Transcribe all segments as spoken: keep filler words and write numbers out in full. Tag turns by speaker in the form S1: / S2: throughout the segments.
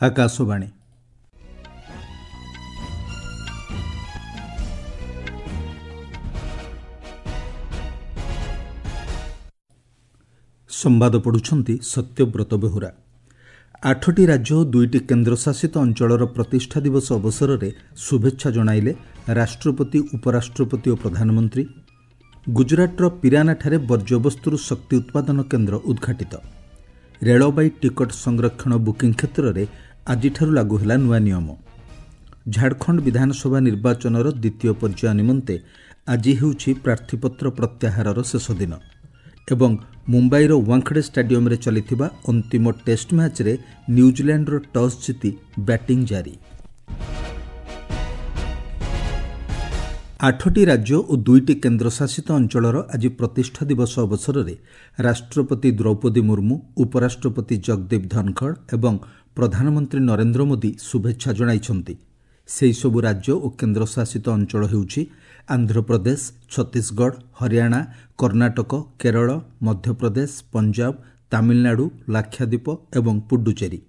S1: ଆକାଶବାଣୀ ସମ୍ବାଦ ପଢ଼ୁଛନ୍ତି ସତ୍ୟବ୍ରତ ବେହୁରା ଆଠଟି ରାଜ୍ୟ ଓ ଦୁଇଟି କେନ୍ଦ୍ରଶାସିତ ଅଞ୍ଚଳର ପ୍ରତିଷ୍ଠା ଦିବସ ଅବସରରେ ଶୁଭେଚ୍ଛା ଜଣାଇଲେ ରାଷ୍ଟ୍ରପତି ଉପରାଷ୍ଟ୍ରପତି ଓ ପ୍ରଧାନମନ୍ତ୍ରୀ ଗୁଜରାଟର ପିରାନାଠାରେ ବର୍ଜ୍ୟବସ୍ତୁରୁ ଶକ୍ତି ଉତ୍ପାଦନ କେନ୍ଦ୍ର ଉଦ୍ଘାଟିତ ରେଳବାଇ ଟିକଟ ସଂରକ୍ଷଣ ବୁକିଂ କ୍ଷେତ୍ରରେ ଆଜିଠାରୁ ଲାଗୁ ହେଲା ନୂଆ ନିୟମ ଝାଡ଼ଖଣ୍ଡ ବିଧାନସଭା ନିର୍ବାଚନର ଦ୍ୱିତୀୟ ପର୍ଯ୍ୟାୟ ନିମନ୍ତେ ଆଜି ହେଉଛି ପ୍ରାର୍ଥୀପତ୍ର ପ୍ରତ୍ୟାହାରର ଶେଷ ଦିନ ଏବଂ ମୁମ୍ବାଇର ୱାଙ୍ଖଡ଼େ ଷ୍ଟାଡିୟମରେ ଚାଲିଥିବା ଅନ୍ତିମ ଟେଷ୍ଟ ମ୍ୟାଚ୍ରେ ନ୍ୟୁଜିଲାଣ୍ଡର ଟସ୍ ଜିତି ବ୍ୟାଟିଂ ଜାରି ଆଠଟି ରାଜ୍ୟ ଓ ଦୁଇଟି କେନ୍ଦ୍ରଶାସିତ ଅଞ୍ଚଳର ଆଜି ପ୍ରତିଷ୍ଠା ଦିବସ ଅବସରରେ ରାଷ୍ଟ୍ରପତି ଦ୍ରୌପଦୀ ମୁର୍ମୁ ଉପରାଷ୍ଟ୍ରପତି ଜଗଦୀପ ଧନଖଡ଼ ଏବଂ ପ୍ରଧାନମନ୍ତ୍ରୀ ନରେନ୍ଦ୍ର ମୋଦି ଶୁଭେଚ୍ଛା ଜଣାଇଛନ୍ତି ସେହିସବୁ ରାଜ୍ୟ ଓ କେନ୍ଦ୍ରଶାସିତ ଅଞ୍ଚଳ ହେଉଛି ଆନ୍ଧ୍ରପ୍ରଦେଶ ଛତିଶଗଡ଼ ହରିୟାଣା କର୍ଣ୍ଣାଟକ କେରଳ ମଧ୍ୟପ୍ରଦେଶ ପଞ୍ଜାବ ତାମିଲନାଡୁ ଲାକ୍ଷାଦ୍ୱୀପ ଏବଂ ପୁଡୁଚେରୀ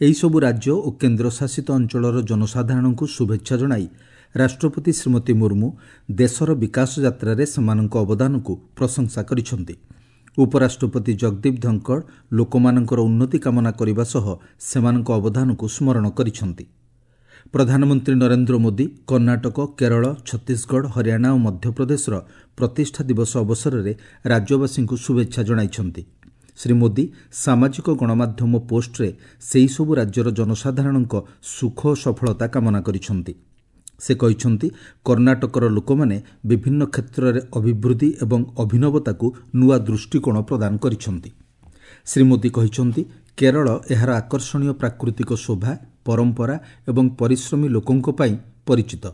S1: ଏହିସବୁ ରାଜ୍ୟ ଓ କେନ୍ଦ୍ରଶାସିତ ଅଞ୍ଚଳର ଜନସାଧାରଣଙ୍କୁ ଶୁଭେଚ୍ଛା ଜଣାଇ ରାଷ୍ଟ୍ରପତି ଶ୍ରୀମତୀ ମୁର୍ମୁ ଦେଶର ବିକାଶ ଯାତ୍ରାରେ ସେମାନଙ୍କ ଅବଦାନକୁ ପ୍ରଶଂସା କରିଛନ୍ତି ଉପରାଷ୍ଟ୍ରପତି ଜଗଦୀପ ଧନଖଡ଼ ଲୋକମାନଙ୍କର ଉନ୍ନତି କାମନା କରିବା ସହ ସେମାନଙ୍କ ଅବଦାନକୁ ସ୍ମରଣ କରିଛନ୍ତି ପ୍ରଧାନମନ୍ତ୍ରୀ ନରେନ୍ଦ୍ର ମୋଦି କର୍ଣ୍ଣାଟକ କେରଳ ଛତିଶଗଡ଼ ହରିୟାଣା ଓ ମଧ୍ୟପ୍ରଦେଶର ପ୍ରତିଷ୍ଠା ଦିବସ ଅବସରରେ ରାଜ୍ୟବାସୀଙ୍କୁ ଶୁଭେଚ୍ଛା ଜଣାଇଛନ୍ତି ଶ୍ରୀ ମୋଦି ସାମାଜିକ ଗଣମାଧ୍ୟମ ପୋଷ୍ଟରେ ସେହିସବୁ ରାଜ୍ୟର ଜନସାଧାରଣଙ୍କ ସୁଖ ଓ ସଫଳତା କାମନା କରିଛନ୍ତି ସେ କହିଛନ୍ତି କର୍ଣ୍ଣାଟକର ଲୋକମାନେ ବିଭିନ୍ନ କ୍ଷେତ୍ରରେ ଅଭିବୃଦ୍ଧି ଏବଂ ଅଭିନବତାକୁ ନୂଆ ଦୃଷ୍ଟିକୋଣ ପ୍ରଦାନ କରିଛନ୍ତି ଶ୍ରୀ ମୋଦି କହିଛନ୍ତି କେରଳ ଏହାର ଆକର୍ଷଣୀୟ ପ୍ରାକୃତିକ ଶୋଭା ପରମ୍ପରା ଏବଂ ପରିଶ୍ରମୀ ଲୋକଙ୍କ ପାଇଁ ପରିଚିତ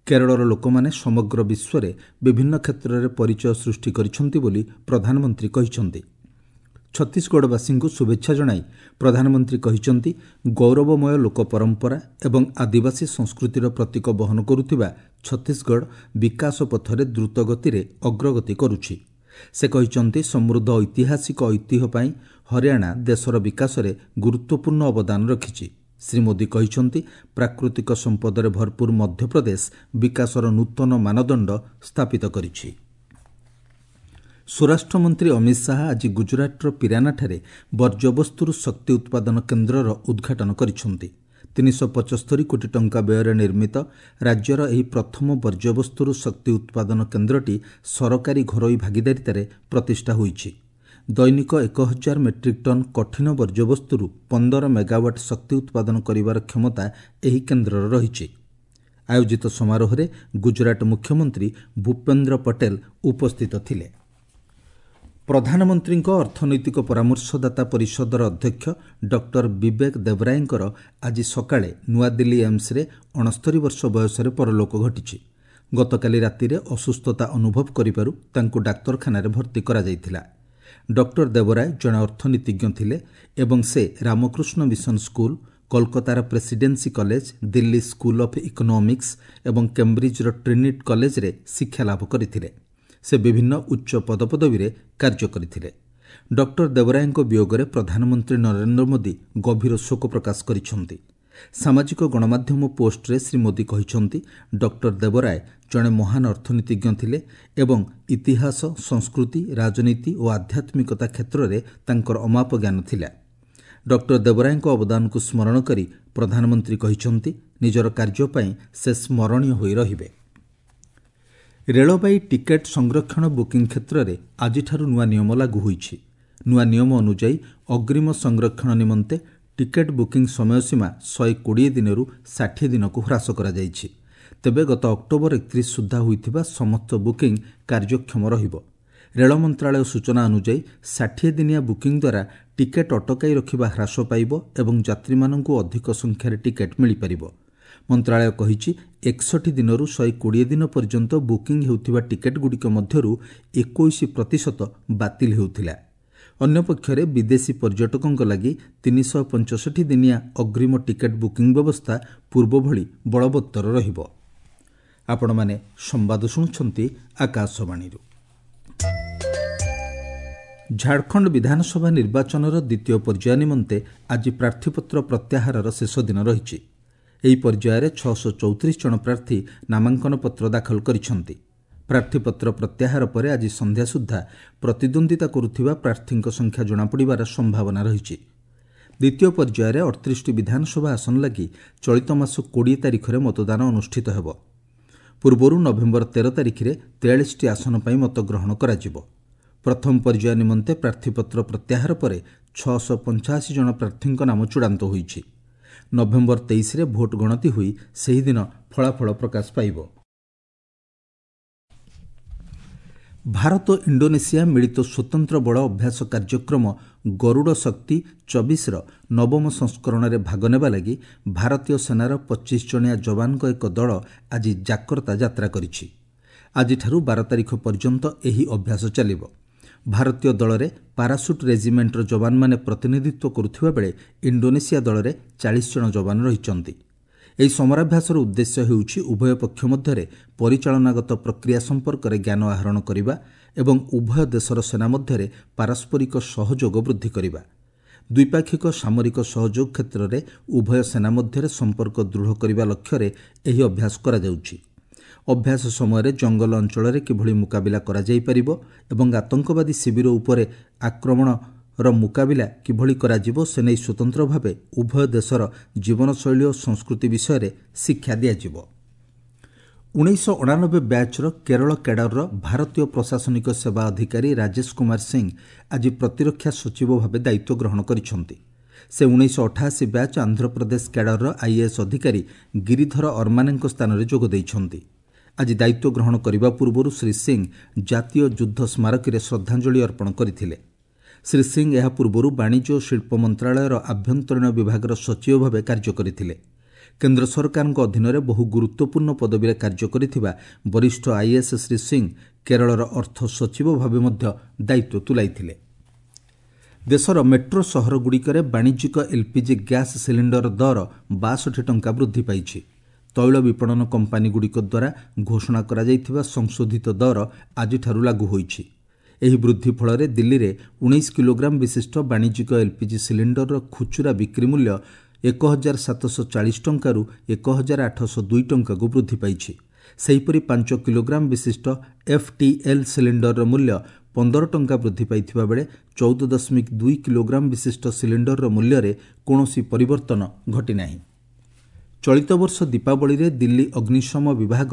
S1: କେରଳର ଲୋକମାନେ ସମଗ୍ର ବିଶ୍ୱରେ ବିଭିନ୍ନ କ୍ଷେତ୍ରରେ ପରିଚୟ ସୃଷ୍ଟି କରିଛନ୍ତି ବୋଲି ପ୍ରଧାନମନ୍ତ୍ରୀ କହିଛନ୍ତି ଛତିଶଗଡ଼ବାସୀଙ୍କୁ ଶୁଭେଚ୍ଛା ଜଣାଇ ପ୍ରଧାନମନ୍ତ୍ରୀ କହିଛନ୍ତି ଗୌରବମୟ ଲୋକ ପରମ୍ପରା ଏବଂ ଆଦିବାସୀ ସଂସ୍କୃତିର ପ୍ରତୀକ ବହନ କରୁଥିବା ଛତିଶଗଡ଼ ବିକାଶ ପଥରେ ଦ୍ରୁତଗତିରେ ଅଗ୍ରଗତି କରୁଛି ସେ କହିଛନ୍ତି ସମୃଦ୍ଧ ଐତିହାସିକ ଐତିହ୍ୟ ପାଇଁ ହରିୟାଣା ଦେଶର ବିକାଶରେ ଗୁରୁତ୍ୱପୂର୍ଣ୍ଣ ଅବଦାନ ରଖିଛି ଶ୍ରୀ ମୋଦି କହିଛନ୍ତି ପ୍ରାକୃତିକ ସମ୍ପଦରେ ଭରପୂର ମଧ୍ୟପ୍ରଦେଶ ବିକାଶର ନୂତନ ମାନଦଣ୍ଡ ସ୍ଥାପିତ କରିଛି ସ୍ୱରାଷ୍ଟ୍ରମନ୍ତ୍ରୀ ଅମିତ ଶାହା ଆଜି ଗୁଜରାଟର ପିରାନାଠାରେ ବର୍ଜ୍ୟବସ୍ତୁରୁ ଶକ୍ତି ଉତ୍ପାଦନ କେନ୍ଦ୍ରର ଉଦ୍ଘାଟନ କରିଛନ୍ତି ତିନିଶହ ପଚସ୍ତରୀ କୋଟି ଟଙ୍କା ବ୍ୟୟରେ ନିର୍ମିତ ରାଜ୍ୟର ଏହି ପ୍ରଥମ ବର୍ଜ୍ୟବସ୍ତୁରୁ ଶକ୍ତି ଉତ୍ପାଦନ କେନ୍ଦ୍ରଟି ସରକାରୀ ଘରୋଇ ଭାଗିଦାରିତାରେ ପ୍ରତିଷ୍ଠା ହୋଇଛି ଦୈନିକ ଏକ ହଜାର ମେଟ୍ରିକ୍ ଟନ୍ କଠିନ ବର୍ଜ୍ୟବସ୍ତୁରୁ ପନ୍ଦର ମେଗାୱାଟ୍ ଶକ୍ତି ଉତ୍ପାଦନ କରିବାର କ୍ଷମତା ଏହି କେନ୍ଦ୍ରର ରହିଛି ଆୟୋଜିତ ସମାରୋହରେ ଗୁଜରାଟ ମୁଖ୍ୟମନ୍ତ୍ରୀ ଭୂପେନ୍ଦ୍ର ପଟେଲ ଉପସ୍ଥିତ ଥିଲେ ପ୍ରଧାନମନ୍ତ୍ରୀଙ୍କ ଅର୍ଥନୈତିକ ପରାମର୍ଶଦାତା ପରିଷଦର ଅଧ୍ୟକ୍ଷ ଡକ୍ଟର ବିବେକ ଦେବରାୟଙ୍କର ଆଜି ସକାଳେ ନୂଆଦିଲ୍ଲୀ ଏମ୍ସରେ ଅଣସ୍ତରୀ ବର୍ଷ ବୟସରେ ପରଲୋକ ଘଟିଛି ଗତକାଲି ରାତିରେ ଅସୁସ୍ଥତା ଅନୁଭବ କରିବାରୁ ତାଙ୍କୁ ଡାକ୍ତରଖାନାରେ ଭର୍ତ୍ତି କରାଯାଇଥିଲା ଡକ୍ଟର ଦେବରାୟ ଜଣେ ଅର୍ଥନୀତିଜ୍ଞ ଥିଲେ ଏବଂ ସେ ରାମକୃଷ୍ଣ ମିଶନ ସ୍କୁଲ କୋଲକାତାର presidency college Delhi school of economics ଏବଂ କେମ୍ବ୍ରିଜ୍ର ଟ୍ରିନିଟି କଲେଜରେ ଶିକ୍ଷାଲାଭ କରିଥିଲେ ସେ ବିଭିନ୍ନ ଉଚ୍ଚ ପଦପଦବୀରେ କାର୍ଯ୍ୟ କରିଥିଲେ ଡକ୍ଟର ଦେବରାୟଙ୍କ ବିୟୋଗରେ ପ୍ରଧାନମନ୍ତ୍ରୀ ନରେନ୍ଦ୍ର ମୋଦି ଗଭୀର ଶୋକ ପ୍ରକାଶ କରିଛନ୍ତି ସାମାଜିକ ଗଣମାଧ୍ୟମ ପୋଷ୍ଟରେ ଶ୍ରୀ ମୋଦି କହିଛନ୍ତି ଡକ୍ଟର ଦେବରାୟ ଜଣେ ମହାନ ଅର୍ଥନୀତିଜ୍ଞ ଥିଲେ ଏବଂ ଇତିହାସ ସଂସ୍କୃତି ରାଜନୀତି ଓ ଆଧ୍ୟାତ୍ମିକତା କ୍ଷେତ୍ରରେ ତାଙ୍କର ଅମାପ ଜ୍ଞାନ ଥିଲା ଡକ୍ଟର ଦେବରାୟଙ୍କ ଅବଦାନକୁ ସ୍ମରଣ କରି ପ୍ରଧାନମନ୍ତ୍ରୀ କହିଛନ୍ତି ନିଜର କାର୍ଯ୍ୟ ପାଇଁ ସେ ସ୍ମରଣୀୟ ହୋଇ ରହିବେ ରେଳବାଇ ଟିକେଟ୍ ସଂରକ୍ଷଣ ବୁକିଂ କ୍ଷେତ୍ରରେ ଆଜିଠାରୁ ନୂଆ ନିୟମ ଲାଗୁ ହୋଇଛି ନୂଆ ନିୟମ ଅନୁଯାୟୀ ଅଗ୍ରିମ ସଂରକ୍ଷଣ ନିମନ୍ତେ ଟିକେଟ୍ ବୁକିଂ ସମୟସୀମା ଶହେ କୋଡ଼ିଏ ଦିନରୁ ଷାଠିଏ ଦିନକୁ ହ୍ରାସ କରାଯାଇଛି ତେବେ ଗତ ଅକ୍ଟୋବର ଏକତିରିଶ ସୁଦ୍ଧା ହୋଇଥିବା ସମସ୍ତ ବୁକିଂ କାର୍ଯ୍ୟକ୍ଷମ ରହିବ ରେଳ ମନ୍ତ୍ରାଳୟ ସୂଚନା ଅନୁଯାୟୀ ଷାଠିଏ ଦିନିଆ ବୁକିଂ ଦ୍ୱାରା ଟିକେଟ୍ ଅଟକାଇ ରଖିବା ହ୍ରାସ ପାଇବ ଏବଂ ଯାତ୍ରୀମାନଙ୍କୁ ଅଧିକ ସଂଖ୍ୟାରେ ଟିକେଟ୍ ମିଳିପାରିବ ମନ୍ତ୍ରାଳୟ କହିଛି ଏକଷଠି ଦିନରୁ ଶହେ କୋଡ଼ିଏ ଦିନ ପର୍ଯ୍ୟନ୍ତ ବୁକିଂ ହେଉଥିବା ଟିକେଟ୍ଗୁଡ଼ିକ ମଧ୍ୟରୁ ଏକୋଇଶ ପ୍ରତିଶତ ବାତିଲ ହେଉଥିଲା ଅନ୍ୟପକ୍ଷରେ ବିଦେଶୀ ପର୍ଯ୍ୟଟକଙ୍କ ଲାଗି ତିନିଶହ ପଞ୍ଚଷଠି ଦିନିଆ ଅଗ୍ରିମ ଟିକେଟ୍ ବୁକିଂ ବ୍ୟବସ୍ଥା ପୂର୍ବଭଳି ବଳବତ୍ତର ରହିବ ଆପଣମାନେ ସମ୍ବାଦ ଶୁଣୁଛନ୍ତି ଆକାଶବାଣୀରୁ ଝାଡ଼ଖଣ୍ଡ ବିଧାନସଭା ନିର୍ବାଚନର ଦ୍ୱିତୀୟ ପର୍ଯ୍ୟାୟ ନିମନ୍ତେ ଆଜି ପ୍ରାର୍ଥୀପତ୍ର ପ୍ରତ୍ୟାହାରର ଶେଷ ଦିନ ରହିଛି। ଏହି ପର୍ଯ୍ୟାୟରେ ଛଅଶହ ଚଉତିରିଶ ଜଣ ପ୍ରାର୍ଥୀ ନାମାଙ୍କନପତ୍ର ଦାଖଲ କରିଛନ୍ତି। ପ୍ରାର୍ଥୀପତ୍ର ପ୍ରତ୍ୟାହାର ପରେ ଆଜି ସନ୍ଧ୍ୟା ସୁଦ୍ଧା ପ୍ରତିଦ୍ୱନ୍ଦ୍ୱିତା କରୁଥିବା ପ୍ରାର୍ଥୀଙ୍କ ସଂଖ୍ୟା ଜଣାପଡ଼ିବାର ସମ୍ଭାବନା ରହିଛି। ଦ୍ୱିତୀୟ ପର୍ଯ୍ୟାୟରେ ଅଠତିରିଶଟି ବିଧାନସଭା ଆସନ ଲାଗି ଚଳିତ ମାସ କୋଡ଼ିଏ ତାରିଖରେ ମତଦାନ ଅନୁଷ୍ଠିତ ହେବ। ପୂର୍ବରୁ ନଭେମ୍ବର ତେର ତାରିଖରେ ତେୟାଳିଶଟି ଆସନ ପାଇଁ ମତଗ୍ରହଣ କରାଯିବ। ପ୍ରଥମ ପର୍ଯ୍ୟାୟ ନିମନ୍ତେ ପ୍ରାର୍ଥୀପତ୍ର ପ୍ରତ୍ୟାହାର ପରେ ଛଅଶହ ପଞ୍ଚାଅଶୀ ଜଣ ପ୍ରାର୍ଥୀଙ୍କ ନାମ ଚୂଡ଼ାନ୍ତ ହୋଇଛି। ନଭେମ୍ବର ତେଇଶରେ ଭୋଟ ଗଣତି ହୋଇ ସେହିଦିନ ଫଳାଫଳ ପ୍ରକାଶ ପାଇବ। ଭାରତ ଇଣ୍ଡୋନେସିଆ ମିଳିତ ସ୍ୱତନ୍ତ୍ର ବଳ ଅଭ୍ୟାସ କାର୍ଯ୍ୟକ୍ରମ ଗରୁଡ଼ ଶକ୍ତି ଚବିଶର ନବମ ସଂସ୍କରଣରେ ଭାଗ ନେବା ଲାଗି ଭାରତୀୟ ସେନାର ପଚିଶ ଜଣିଆ ଯବାନଙ୍କ ଏକ ଦଳ ଆଜି ଜାକର୍ତ୍ତା ଯାତ୍ରା କରିଛି। ଆଜିଠାରୁ ବାର ତାରିଖ ପର୍ଯ୍ୟନ୍ତ ଏହି ଅଭ୍ୟାସ ଚାଲିବ। ଭାରତୀୟ ଦଳରେ ପାରାସୁଟ୍ ରେଜିମେଣ୍ଟର ଯବାନମାନେ ପ୍ରତିନିଧିତ୍ୱ କରୁଥିବା ବେଳେ ଇଣ୍ଡୋନେସିଆ ଦଳରେ ଚାଳିଶ ଜଣ ଯବାନ ରହିଛନ୍ତି। ଏହି ସମରାଭ୍ୟାସର ଉଦ୍ଦେଶ୍ୟ ହେଉଛି ଉଭୟ ପକ୍ଷ ମଧ୍ୟରେ ପରିଚାଳନାଗତ ପ୍ରକ୍ରିୟା ସମ୍ପର୍କରେ ଜ୍ଞାନ ଆହରଣ କରିବା ଏବଂ ଉଭୟ ଦେଶର ସେନା ମଧ୍ୟରେ ପାରସ୍ପରିକ ସହଯୋଗ ବୃଦ୍ଧି କରିବା। ଦ୍ୱିପାକ୍ଷିକ ସାମରିକ ସହଯୋଗ କ୍ଷେତ୍ରରେ ଉଭୟ ସେନା ମଧ୍ୟରେ ସମ୍ପର୍କ ଦୃଢ଼ କରିବା ଲକ୍ଷ୍ୟରେ ଏହି ଅଭ୍ୟାସ କରାଯାଉଛି। ଅଭ୍ୟାସ ସମୟରେ ଜଙ୍ଗଲ ଅଞ୍ଚଳରେ କିଭଳି ମୁକାବିଲା କରାଯାଇପାରିବ ଏବଂ ଆତଙ୍କବାଦୀ ଶିବିର ଉପରେ ଆକ୍ରମଣର ମୁକାବିଲା କିଭଳି କରାଯିବ ସେନେଇ ସ୍ୱତନ୍ତ୍ର ଭାବେ ଉଭୟ ଦେଶର ଜୀବନଶୈଳୀ ଓ ସଂସ୍କୃତି ବିଷୟରେ ଶିକ୍ଷା ଦିଆଯିବ। ଉଣେଇଶହ ଅଣାନବେ ବ୍ୟାଚ୍ର କେରଳ କ୍ୟାଡରର ଭାରତୀୟ ପ୍ରଶାସନିକ ସେବା ଅଧିକାରୀ ରାଜେଶ କୁମାର ସିଂ ଆଜି ପ୍ରତିରକ୍ଷା ସଚିବ ଭାବେ ଦାୟିତ୍ୱ ଗ୍ରହଣ କରିଛନ୍ତି। ସେ ଉଣେଇଶହ ଅଠାଅଶୀ ବ୍ୟାଚ୍ ଆନ୍ଧ୍ରପ୍ରଦେଶ କ୍ୟାଡରର ଆଇଏଏସ୍ ଅଧିକାରୀ ଗିରିଧର ଅର୍ମାନେଙ୍କ ସ୍ଥାନରେ ଯୋଗ ଦେଇଛନ୍ତି। ଆଜି ଦାୟିତ୍ୱ ଗ୍ରହଣ କରିବା ପୂର୍ବରୁ ଶ୍ରୀ ସିଂ ଜାତୀୟ ଯୁଦ୍ଧ ସ୍ମାରକୀରେ ଶ୍ରଦ୍ଧାଞ୍ଜଳି ଅର୍ପଣ କରିଥିଲେ। ଶ୍ରୀ ସିଂ ଏହା ପୂର୍ବରୁ ବାଣିଜ୍ୟ ଓ ଶିଳ୍ପ ମନ୍ତ୍ରଣାଳୟର ଆଭ୍ୟନ୍ତରୀଣ ବିଭାଗର ସଚିବ ଭାବେ କାର୍ଯ୍ୟ କରିଥିଲେ। କେନ୍ଦ୍ର ସରକାରଙ୍କ ଅଧୀନରେ ବହୁ ଗୁରୁତ୍ୱପୂର୍ଣ୍ଣ ପଦବୀରେ କାର୍ଯ୍ୟ କରିଥିବା ବରିଷ୍ଠ ଆଇଏଏସ୍ ଶ୍ରୀ ସିଂ କେରଳର ଅର୍ଥ ସଚିବ ଭାବେ ମଧ୍ୟ ଦାୟିତ୍ୱ ତୁଲାଇଥିଲେ। ଦେଶର ମେଟ୍ରୋ ସହରଗୁଡ଼ିକରେ ବାଣିଜ୍ୟିକ ଏଲ୍ପିଜି ଗ୍ୟାସ୍ ସିଲିଣ୍ଡର ଦର ବାଷଠି ଟଙ୍କା ବୃଦ୍ଧି ପାଇଛି। ତୈଳ ବିପଣନ କମ୍ପାନୀଗୁଡ଼ିକ ଦ୍ୱାରା ଘୋଷଣା କରାଯାଇଥିବା ସଂଶୋଧିତ ଦର ଆଜିଠାରୁ ଲାଗୁ ହୋଇଛି। ଏହି ବୃଦ୍ଧି ଫଳରେ ଦିଲ୍ଲୀରେ ଉଣେଇଶ କିଲୋଗ୍ରାମ ବିଶିଷ୍ଟ ବାଣିଜ୍ୟିକ ଏଲ୍ପିଜି ସିଲିଣ୍ଡରର ଖୁଚୁରା ବିକ୍ରି ମୂଲ୍ୟ ଏକ ହଜାର ସାତଶହ ଚାଳିଶ ଟଙ୍କାରୁ ଏକ ହଜାର ଆଠଶହ ଦୁଇ ଟଙ୍କାକୁ ବୃଦ୍ଧି ପାଇଛି। ସେହିପରି ପାଞ୍ଚ କିଲୋଗ୍ରାମ ବିଶିଷ୍ଟ ଏଫ୍ଟିଏଲ୍ ସିଲିଣ୍ଡରର ମୂଲ୍ୟ ପନ୍ଦର ଟଙ୍କା ବୃଦ୍ଧି ପାଇଥିବା ବେଳେ ଚଉଦ ଦଶମିକ ଦୁଇ କିଲୋଗ୍ରାମ ବିଶିଷ୍ଟ ସିଲିଣ୍ଡରର ମୂଲ୍ୟରେ କୌଣସି ପରିବର୍ତ୍ତନ ଘଟିନାହିଁ। ଚଳିତ ବର୍ଷ ଦୀପାବଳିରେ ଦିଲ୍ଲୀ ଅଗ୍ନିଶମ ବିଭାଗ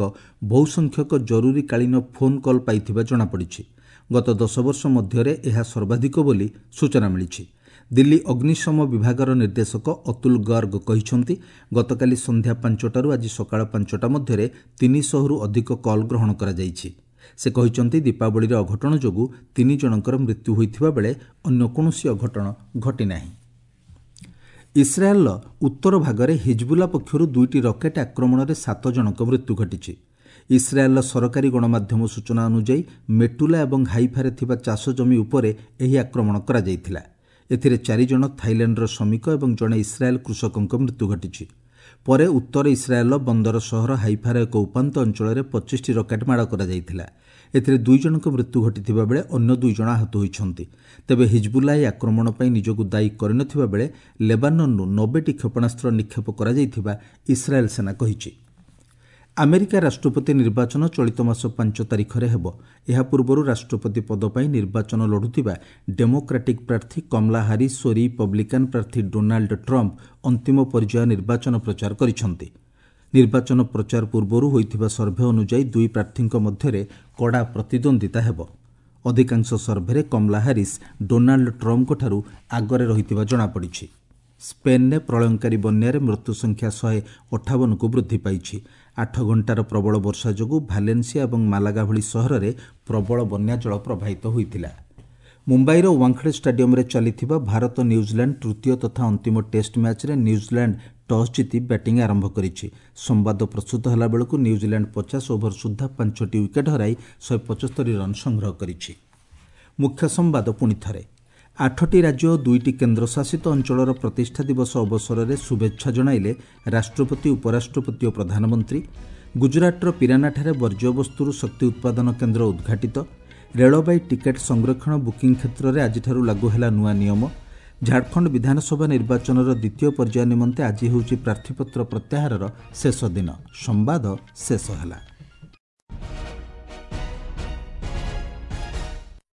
S1: ବହୁସଂଖ୍ୟକ ଜରୁରୀକାଳୀନ ଫୋନ୍ କଲ୍ ପାଇଥିବା ଜଣାପଡ଼ିଛି। ଗତ ଦଶ ବର୍ଷ ମଧ୍ୟରେ ଏହା ସର୍ବାଧିକ ବୋଲି ସୂଚନା ମିଳିଛି। ଦିଲ୍ଲୀ ଅଗ୍ନିଶମ ବିଭାଗର ନିର୍ଦ୍ଦେଶକ ଅତୁଲ ଗର୍ଗ କହିଛନ୍ତି, ଗତକାଲି ସନ୍ଧ୍ୟା ପାଞ୍ଚଟାରୁ ଆଜି ସକାଳ ପାଞ୍ଚଟା ମଧ୍ୟରେ ତିନିଶହରୁ ଅଧିକ କଲ୍ ଗ୍ରହଣ କରାଯାଇଛି। ସେ କହିଛନ୍ତି, ଦୀପାବଳିରେ ଅଘଟଣ ଯୋଗୁଁ ତିନି ଜଣଙ୍କର ମୃତ୍ୟୁ ହୋଇଥିବା ବେଳେ ଅନ୍ୟ କୌଣସି ଅଘଟଣ ଘଟିନାହିଁ। ଇସ୍ରାଏଲ୍ର ଉତ୍ତର ଭାଗରେ ହିଜବୁଲା ପକ୍ଷରୁ ଦୁଇଟି ରକେଟ୍ ଆକ୍ରମଣରେ ସାତ ଜଣଙ୍କ ମୃତ୍ୟୁ ଘଟିଛି। ଇସ୍ରାଏଲ୍ର ସରକାରୀ ଗଣମାଧ୍ୟମ ସୂଚନା ଅନୁଯାୟୀ ମେଟୁଲା ଏବଂ ହାଇଫାରେ ଥିବା ଚାଷ ଜମି ଉପରେ ଏହି ଆକ୍ରମଣ କରାଯାଇଥିଲା। ଏଥିରେ ଚାରିଜଣ ଥାଇଲାଣ୍ଡର ଶ୍ରମିକ ଏବଂ ଜଣେ ଇସ୍ରାଏଲ୍ କୃଷକଙ୍କ ମୃତ୍ୟୁ ଘଟିଛି। ପରେ ଉତ୍ତର ଇସ୍ରାଏଲ୍ର ବନ୍ଦର ସହର ହାଇଫାର ଏକ ଉପାନ୍ତ ଅଞ୍ଚଳରେ ପଚିଶଟି ରକେଟ୍ ମାଡ଼ କରାଯାଇଥିଲା। ଏଥିରେ ଦୁଇ ଜଣଙ୍କ ମୃତ୍ୟୁ ଘଟିଥିବା ବେଳେ ଅନ୍ୟ ଦୁଇ ଜଣ ଆହତ ହୋଇଛନ୍ତି। ତେବେ ହିଜବୁଲ୍ଲା ଏହି ଆକ୍ରମଣ ପାଇଁ ନିଜକୁ ଦାୟୀ କରିନଥିବା ବେଳେ ଲେବାନନ୍ରୁ ନବେଟି କ୍ଷେପଣାସ୍ତ୍ର ନିକ୍ଷେପ କରାଯାଇଥିବା ଇସ୍ରାଏଲ୍ ସେନା କହିଛି। ଆମେରିକା ରାଷ୍ଟ୍ରପତି ନିର୍ବାଚନ ଚଳିତ ମାସ ପାଞ୍ଚ ତାରିଖରେ ହେବ। ଏହା ପୂର୍ବରୁ ରାଷ୍ଟ୍ରପତି ପଦ ପାଇଁ ନିର୍ବାଚନ ଲଢ଼ୁଥିବା ଡେମୋକ୍ରାଟିକ୍ ପ୍ରାର୍ଥୀ କମଲା ହାରିସ୍ ଓ ରିପବ୍ଲିକାନ୍ ପ୍ରାର୍ଥୀ ଡୋନାଲ୍ଡ ଟ୍ରମ୍ପ ଅନ୍ତିମ ପର୍ଯ୍ୟାୟ ନିର୍ବାଚନ ପ୍ରଚାର କରିଛନ୍ତି। ନିର୍ବାଚନ ପ୍ରଚାର ପୂର୍ବରୁ ହୋଇଥିବା ସର୍ଭେ ଅନୁଯାୟୀ ଦୁଇ ପ୍ରାର୍ଥୀଙ୍କ ମଧ୍ୟରେ କଡ଼ା ପ୍ରତିଦ୍ୱନ୍ଦ୍ୱିତା ହେବ। ଅଧିକାଂଶ ସର୍ଭେରେ କମଲା ହାରିସ୍ ଡୋନାଲ୍ଡ ଟ୍ରମ୍ପଙ୍କଠାରୁ ଆଗରେ ରହିଥିବା ଜଣାପଡ଼ିଛି। ସ୍ପେନ୍ରେ ପ୍ରଳୟଙ୍କାରୀ ବନ୍ୟାରେ ମୃତ୍ୟୁ ସଂଖ୍ୟା ଶହେ ଅଠାବନକୁ ବୃଦ୍ଧି ପାଇଛି। ଆଠ ଘଣ୍ଟାର ପ୍ରବଳ ବର୍ଷା ଯୋଗୁଁ ଭାଲେନ୍ସିଆ ଏବଂ ମାଲାଗା ଭଳି ସହରରେ ପ୍ରବଳ ବନ୍ୟାଜଳ ପ୍ରବାହିତ ହୋଇଥିଲା। ମୁମ୍ବାଇର ୱାଙ୍ଖଡ଼େ ଷ୍ଟାଡିୟମରେ ଚାଲିଥିବା ଭାରତ ନ୍ୟୁଜିଲାଣ୍ଡ ତୃତୀୟ ତଥା ଅନ୍ତିମ ଟେଷ୍ଟ ମ୍ୟାଚ୍ରେ ନ୍ୟୁଜିଲାଣ୍ଡ ଟସ୍ ଜିତି ବ୍ୟାଟିଂ ଆରମ୍ଭ କରିଛି। ସମ୍ବାଦ ପ୍ରସ୍ତୁତ ହେଲାବେଳକୁ ନ୍ୟୁଜିଲାଣ୍ଡ ପଚାଶ ଓଭର ସୁଦ୍ଧା ପାଞ୍ଚଟି ୱିକେଟ୍ ହରାଇ ଶହେ ପଞ୍ଚସ୍ତରୀ ରନ୍ ସଂଗ୍ରହ କରିଛି। ମୁଖ୍ୟ ସମ୍ବାଦ ପୁଣି ଥରେ। ଆଠଟି ରାଜ୍ୟ ଓ ଦୁଇଟି କେନ୍ଦ୍ରଶାସିତ ଅଞ୍ଚଳର ପ୍ରତିଷ୍ଠା ଦିବସ ଅବସରରେ ଶୁଭେଚ୍ଛା ଜଣାଇଲେ ରାଷ୍ଟ୍ରପତି, ଉପରାଷ୍ଟ୍ରପତି ଓ ପ୍ରଧାନମନ୍ତ୍ରୀ। ଗୁଜରାଟର ପିରାନାଠାରେ ବର୍ଜ୍ୟବସ୍ତୁରୁ ଶକ୍ତି ଉତ୍ପାଦନ କେନ୍ଦ୍ର ଉଦ୍ଘାଟିତ। ରେଳବାଇ ଟିକେଟ୍ ସଂରକ୍ଷଣ ବୁକିଂ କ୍ଷେତ୍ରରେ ଆଜିଠାରୁ ଲାଗୁ ହେଲା ନୂଆ ନିୟମ। ଝାଡ଼ଖଣ୍ଡ ବିଧାନସଭା ନିର୍ବାଚନର ଦ୍ୱିତୀୟ ପର୍ଯ୍ୟାୟ ନିମନ୍ତେ ଆଜି ହେଉଛି ପ୍ରାର୍ଥୀପତ୍ର ପ୍ରତ୍ୟାହାରର ଶେଷ ଦିନ। ସମ୍ବାଦ ଶେଷ ହେଲା।